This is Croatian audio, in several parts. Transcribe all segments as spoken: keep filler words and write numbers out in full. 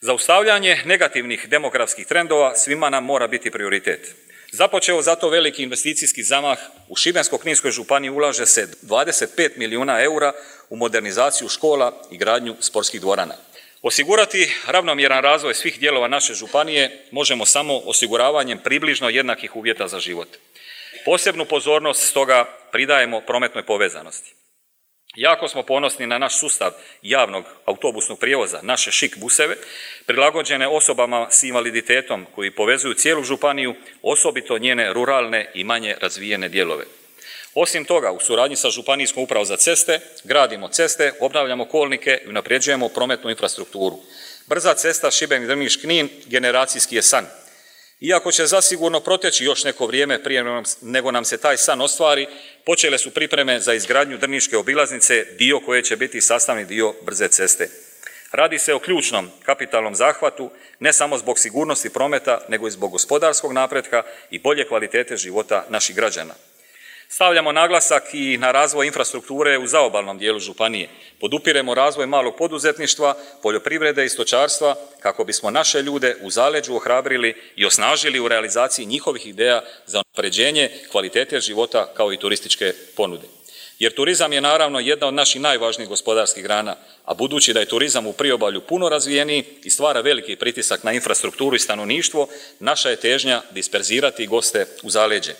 Zaustavljanje negativnih demografskih trendova svima nam mora biti prioritet. Započeo zato veliki investicijski zamah u Šibensko-kninskoj županiji ulaže se dvadeset pet milijuna eura u modernizaciju škola i gradnju sportskih dvorana. Osigurati ravnomjeran razvoj svih dijelova naše županije možemo samo osiguravanjem približno jednakih uvjeta za život. Posebnu pozornost stoga pridajemo prometnoj povezanosti. Jako smo ponosni na naš sustav javnog autobusnog prijevoza, naše šik buseve, prilagođene osobama s invaliditetom koji povezuju cijelu županiju, osobito njene ruralne i manje razvijene dijelove. Osim toga, u suradnji sa Županijskom upravom za ceste, gradimo ceste, obnavljamo kolnike i unapređujemo prometnu infrastrukturu. Brza cesta Šibenik-Drniš-Knin generacijski je san. Iako će zasigurno proteći još neko vrijeme prije nego nam se taj san ostvari, počele su pripreme za izgradnju drniške obilaznice, dio koje će biti sastavni dio brze ceste. Radi se o ključnom kapitalnom zahvatu, ne samo zbog sigurnosti prometa, nego i zbog gospodarskog napretka i bolje kvalitete života naših građana. Stavljamo naglasak i na razvoj infrastrukture u zaobalnom dijelu županije. Podupiremo razvoj malog poduzetništva, poljoprivrede i stočarstva kako bismo naše ljude u zaleđu ohrabrili i osnažili u realizaciji njihovih ideja za unapređenje kvalitete života kao i turističke ponude. Jer turizam je naravno jedna od naših najvažnijih gospodarskih grana, a budući da je turizam u priobalju puno razvijeniji i stvara veliki pritisak na infrastrukturu i stanovništvo, naša je težnja disperzirati goste u zaleđe.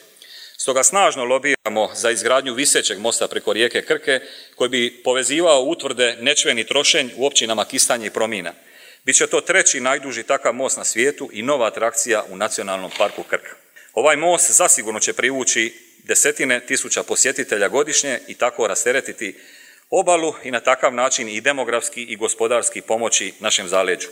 Stoga snažno lobiramo za izgradnju visećeg mosta preko rijeke Krke koji bi povezivao utvrde Nečven i Trošenj u općinama Kistanje i Promina. Biće to treći najduži takav most na svijetu i nova atrakcija u Nacionalnom parku Krka. Ovaj most zasigurno će privući desetine tisuća posjetitelja godišnje i tako rasteretiti obalu i na takav način i demografski i gospodarski pomoći našem zaleđu.